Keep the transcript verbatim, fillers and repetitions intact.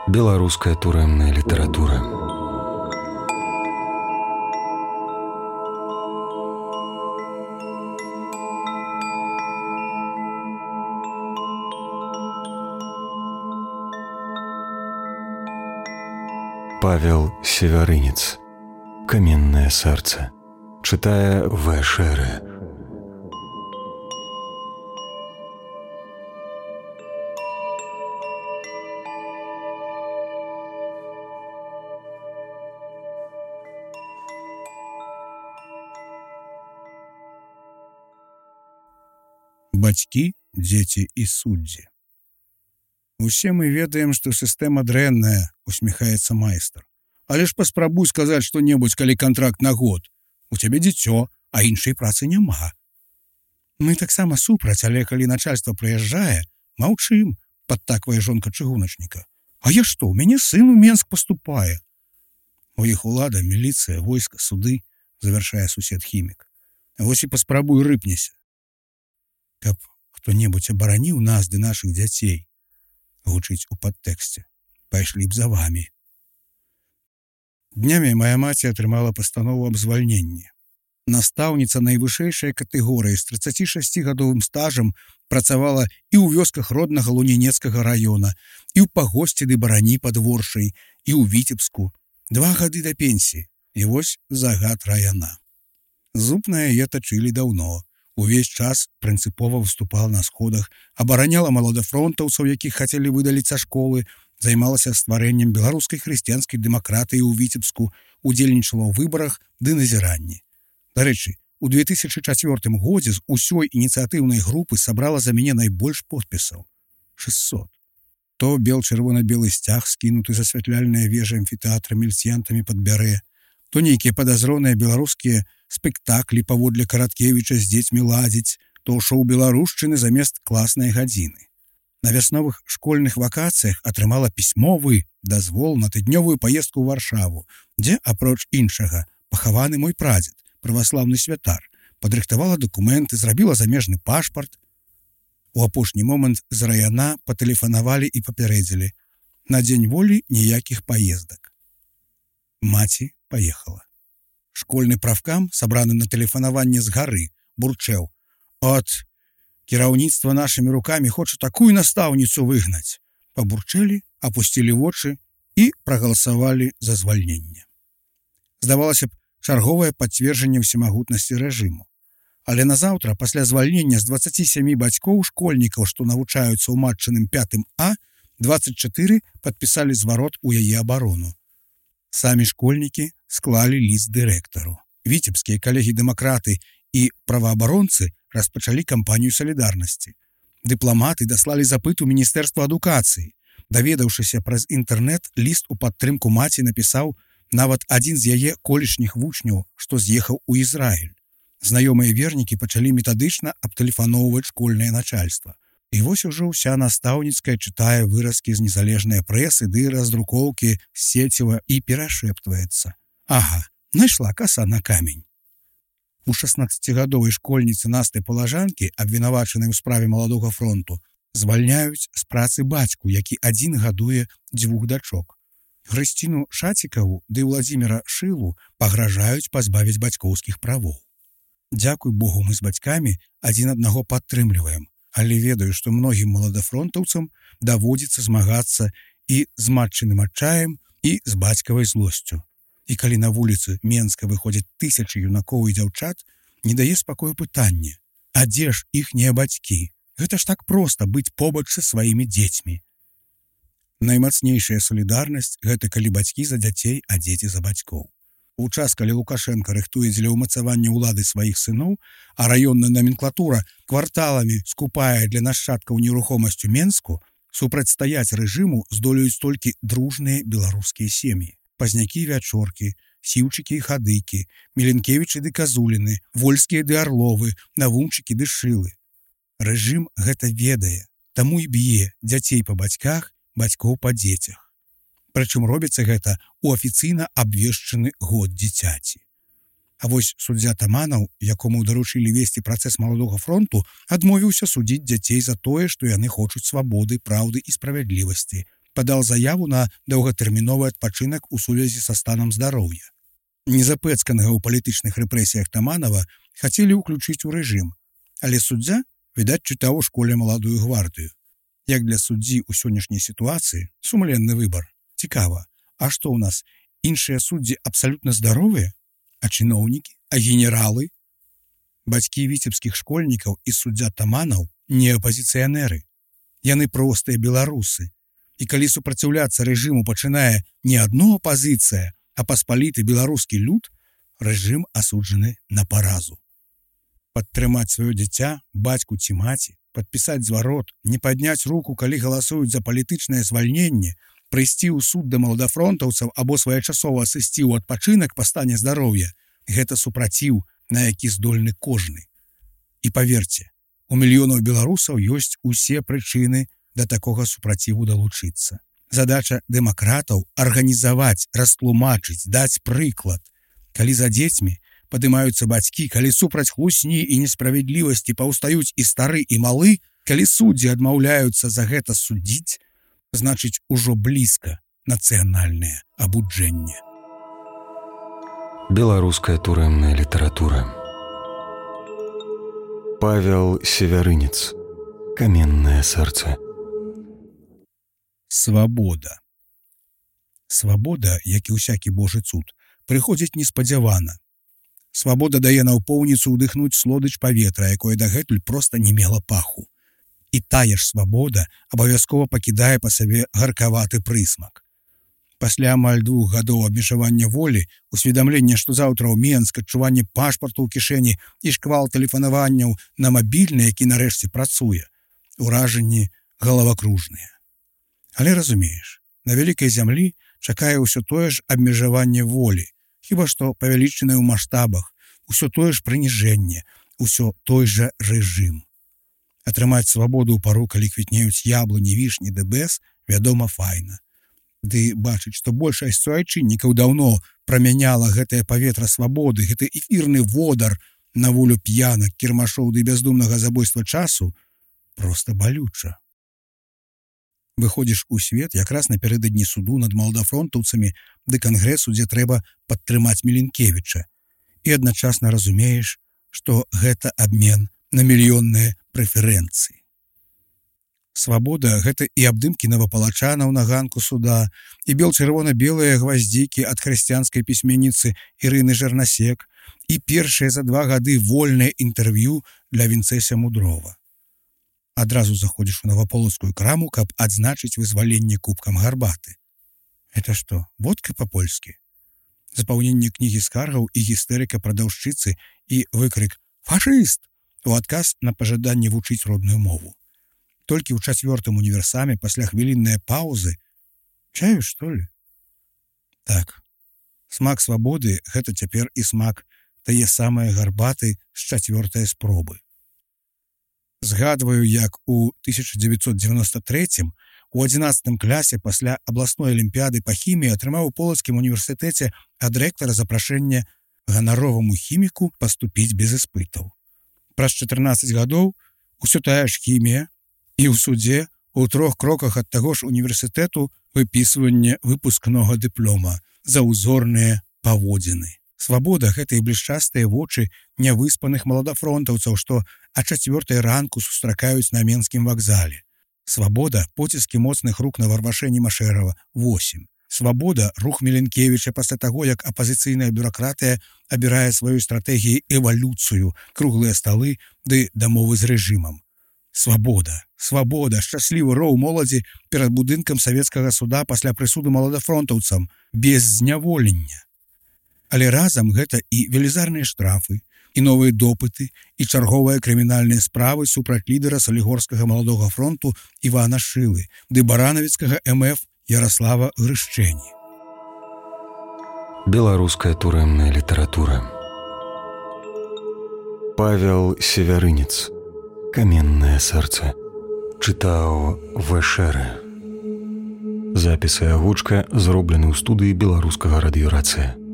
Беларуская турэмная літаратура. Павел Севярынец. Каменное сердце. Читая В. Шеры. Бацькі, дзеці і суддзі. Усе мы ведаем, што сістэма дрэнная, усміхаецца майстар. Але ж паспрабуй сказаць што-небудзь, калі кантракт на год. У цябе дзіцё, а іншай працы няма. Мы таксама супраць, але калі начальства прыязджае, маўчым, падтаквае жонка чыгуначніка. А я што, у мяне сын у Менск паступае. У іх улада, міліцыя, войска, суды, завяршае сусед хімік. Вось і паспрабуй рыпнеся. Каб хто-небудзь абараніў нас ды нашых дзяцей, гучыць у падтэксце. Пайшлі б за вамі. Днямі моя маці атрымала пастанову аб звальненні. Настаўніца найвышэйшай катэгорыі з трыццацішасцігадовым стажам працавала і ў вёсках роднага Лунінецкага раёна, і ў пагосці ды барані пад Воршай, і ў Віцебску. Два гады да пенсіі. І вось загад раяна. Зуб на яе тачылі даўно. Увесь час прынцыпова выступала на сходах, абараняла маладафронтаўцаў, якіх хацелі выдаліць са школы, займалася стварэннем беларускай хрысціянскай дэмакратыі ў Віцебску, удзельнічала ў выбарах ды назіранні. Дарэчы, у две тысячы чацвёртым годзе з усёй ініцыятыўнай групы сабрала за мяне найбольш подпісаў — шэсцьсот. То бел-чырвона-белы сцяг, скінуты з асвятляльнай вежы амфітэатра міліцыянтамі пад Бярэ, то нейкія падазроныя беларускія спектаклі паводле Караткевіча з дзецьмі ладзіць, то шоу беларушчыны замест класнай гадзіны. На вясновых школьных вакацыях атрымала пісьмовы дазвол на тыднёвую паездку ў Варшаву, дзе, апроч іншага, пахаваны мой прадзед, праваслаўны святар, падрыхтавала дакументы, зрабіла замежны пашпарт. У апошні момант з раяна патэлефанавалі і папярэдзілі: на дзень волі ніякіх паездак. Маці паехала. Школьны правкам, сабраны на тэлефанаванне з гары, бурчэў: «От, кіраўніцтва нашымі рукамі хоча такую настаўніцу выгнаць». Пабурчэлі, апусцілі вочы і прагаласавалі за звальненне. Здавалася б, чарговае пацверджанне ўсемагутнасці рэжыму. Але назаўтра, пасля звальнення з дваццаці сямі бацькоў школьнікаў, што навучаюцца ў матчыным пятым А, дваццаць чатыры падпісалі зварот у яе абарону. Самі школьнікі склалі ліст дырэктару. Віцебскія калегі-дэмакраты і праваабаронцы распачалі кампанію салідарнасці. Дыпламаты даслалі запыт у Міністэрства адукацыі. Даведаўшыся праз інтэрнэт, ліст у падтрымку маці напісаў нават адзін з яе колішніх вучняў, што з'ехаў у Ізраіль. Знаёмыя вернікі пачалі метадычна абтэлефаноўваць школьнае начальства. І вось ужо ўся настаўніцкая чытае выразкі з незалежнай прэсы ды раздрукоўкі з сеціва і перашэптваецца: «Ага, найшла каса на камень». У шаснаццацігадовай школьніцы Насты Палажанкі, абвінавачанай у справе маладога фронту, звальняюць з працы бацьку, які адзін гадуе дзвюх дачок. Хрысціну Шацікаву ды Владзіміра Шылу пагражаюць пазбавіць бацькоўскіх правоў. Дзякуй Богу, мы з бацькамі адзін аднаго падтрымліваем, але ведаю, што многім маладафронтаўцам даводзіцца змагацца і з матчыным адчаем, і з бацькавай злосцю. І калі на вуліцы Менска выходзяць тысячы юнакоў і дзяўчат, не дае спакою пытанне: а дзе ж іхнія бацькі? Гэта ж так проста быць побач са сваімі дзецьмі. Наймацнейшая салідарнасць — гэта калі бацькі за дзяцей, а дзеці за бацькоў. У час, калі Лукашенка рыхтуе дзеля ўмацавання ўлады сваіх сыноў, а раённая наменклатура кварталамі скупае для нашчадкаў нерухомасць у Менску, супрацьстаяць рэжыму здолеюць толькі дружныя беларускія сем'і. Пазнякі-вячоркі, сіўчыкі і хадыкі, Міленкевічы ды Казуліны, вольскія ды арловы, навумчыкі ды шылы. Рэжым гэта ведае, таму і б'е дзяцей па бацьках, бацькоў па дзецях. Прычым робіцца гэта ў афіцыйна абвешчаны год дзіцяці. А вось суддзя Таманаў, якому даручылі весці працэс маладога фронту, адмовіўся судзіць дзяцей за тое, што яны хочуць свабоды, праўды і справядлівасці. падал заяву на доўгатэрміновы адпачынак у сувязі са станам здароўя. Незапэцканага ў палітычных рэпрэсіях Таманова хацелі ўключыць у рэжым, але суддзя, відаць, чытаў у школе маладую гвардыю. Як для суддзі ў сённяшняй сітуацыі сумленны выбар. Цікава, а што ў нас, іншыя суддзі абсалютна здаровыя? А чыноўнікі? А генералы? Бацькі віцебскіх школьнікаў і суддзя Таманаў не апазіцыянеры. Яны простыя беларусы. І калі супраціўляцца рэжыму пачынае не адно апазіцыя, а паспаліты беларускі люд, рэжым асуджаны на паразу. Падтрымаць сваё дзіця, бацьку ці маці, падпісаць зварот, не падняць руку, калі галасуюць за палітычнае звальненне, прыйсці ў суд да маладафронтаўцаў або своечасова сысці ў адпачынак па стане здароўя – гэта супраціў, на які здольны кожны. І паверце, у мільёнаў беларусаў ёсць усе прычыны да такога супраціву далучыцца. Задача дэмакратаў – арганізаваць, растлумачыць, даць прыклад. Калі за дзецьмі падымаюцца бацькі, калі супраць хлусні і несправядлівасці паўстаюць і стары, і малы, калі суддзі адмаўляюцца за гэта судзіць, значыць, ужо блізка нацыянальнае абуджэнне. Беларуская турэмная літаратура. Павел Севярынец. Каменнае сэрца. Свабода. Свабода, як і ўсякі божы цуд, прыходзіць неспадзявана. Свабода дае наўпоўніцу ўдыхнуць слодыч паветра, якое дагэтуль проста не мела паху. І тая ж свабода абавязкова пакідае па сабе гаркаваты прысмак. Пасля амаль двух гадоў абмежавання волі, усведамлення, што заўтра ў Менск, адчуванне пашпарту ў кішэні і шквал тэлефанаванняў на мабільны, які нарэшце працуе, уражанні галавакружныя. Але разумееш, на вялікай зямлі чакае ўсё тое ж абмежаванне волі, хіба што павялічанае ў маштабах, усё тое ж прыніжэнне, усё той жа рэжым. Атрымаць свабоду ў пару, калі квітнеюць яблыні, вішні ды бэз, вядома, файна. Ды бачыць, што большасць суайчыннікаў даўно прамяняла гэтае паветра свабоды, гэты эфірны водар на волю п'янак, кірмашоў ды бяздумнага забойства часу, проста балюча. Выходзіш у свет якраз напярэдадні суду над маладафронтаўцамі ды кангрэсу, дзе трэба падтрымаць Міленкевіча, і адначасна разумееш, што гэта абмен на мільённыя прэферэнцыі. Свабода – гэта і абдымкі навапалачанаў на ганку суда, і бел-чырвона-белыя гваздзікі ад хрысціянскай пісьменніцы Ірыны Жарнасек, і першыя за два гады вольнае інтэрв'ю для Вінцэся Мудрова. Адразу заходзіш у наваполацкую краму, каб адзначыць вызваленне кубкам гарбаты. Это што, водка па-польскі? Запаўненне кнігі скаргаў і гістэрыка прадаўшчыцы і выкрык «Фашыст!» у адказ на пажаданне вучыць родную мову. Толькі ў чацвёртым універсаме пасля хвіліннай паўзы чаю, што ли? Так, смак свабоды – гэта цяпер і смак тае самае гарбаты з чацвёртай спробы. Згадваю, як у тысяча дзевяцьсот дзевяноста трэцім у адзінаццатым класе пасля абласной алімпіяды па хіміі атрымаў у Полацкім універсітэце ад рэктара запрашэнне ганароваму хіміку паступіць без іспытаў. Праз чатырнаццаць гадоў усё тая ж хімія і ў судзе у трох кроках ад таго ж універсітэту выпісванне выпускнога дыплома за ўзорныя паводзіны. Свабода – гэта і блішчастыя вочы нявыспаных маладафронтаўцаў, што а чацвёртай ранку сустракаюць на Менскім вакзале. Свабода – поціскі моцных рук на Варвашэні Машэрава, восем. Свабода – рух Міленкевіча пасля таго, як апазіцыйная бюракратыя абірае сваёй стратэгіяй эвалюцыю, круглыя сталы ды дамовы з рэжымам. Свабода, свабода, шчаслівы роў моладзі перад будынкам савецкага суда пасля прысуду маладафронтаўцам, без зняволення. Але разам гэта і велізарныя штрафы, і новыя допыты, і чарговыя крымінальныя справы супраць лідара салігорскага маладога фронту Івана Шылы, ды баранавіцкага эм эф Ярослава Грышчэні. Беларуская турэмная літаратура. Павел Севярынец. Каменнае сэрца. Чытаў Вэшэрэ. Запіс і агучка зроблены ў студыі беларускага радыёрацыя.